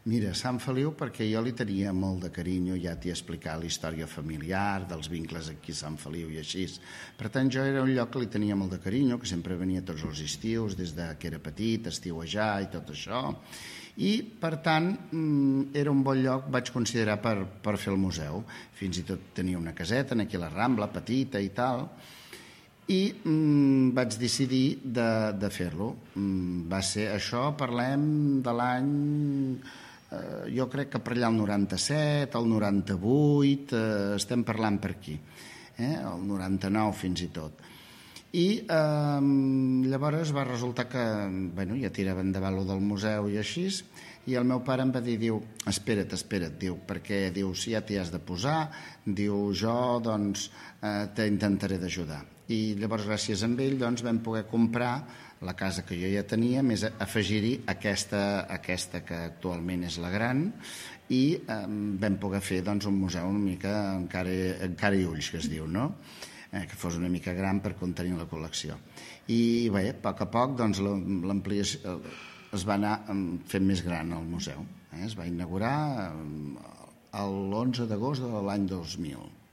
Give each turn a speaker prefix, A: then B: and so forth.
A: Mira, Sant Feliu, perquè jo li tenia molt de carinyo, ja t'hi he explicat la història familiar, dels vincles aquí a Sant Feliu i així. Per tant, jo era un lloc que li tenia molt de carinyo, que sempre venia tots els estius, des que era petit, estiuejar i tot això. I, per tant, era un bon lloc, vaig considerar, per fer el museu. Fins i tot tenia una caseta aquí a la Rambla, petita i tal, i vaig decidir de fer-lo. Va ser això, parlem de l'any... jo crec que per allà el 97, el 98, estem parlant per aquí, el 99 fins i tot. I llavors va resultar que ja tirava endavant lo del museu i així, i el meu pare em va dir, diu, espera't, diu, perquè diu, si ja t'hi has de posar, diu, jo doncs t'intentaré d'ajudar. I llavors gràcies a ell doncs vam poder comprar la casa que jo ja tenia, més afegir-hi aquesta que actualment és la gran, i vam poder fer doncs, un museu una mica encara i ulls, que es diu, no? Que fos una mica gran per contenir la col·lecció. I bé, a poc a poc doncs, l'ampliació es va anar fent més gran el museu. Es va inaugurar l'11 d'agost de l'any 2000.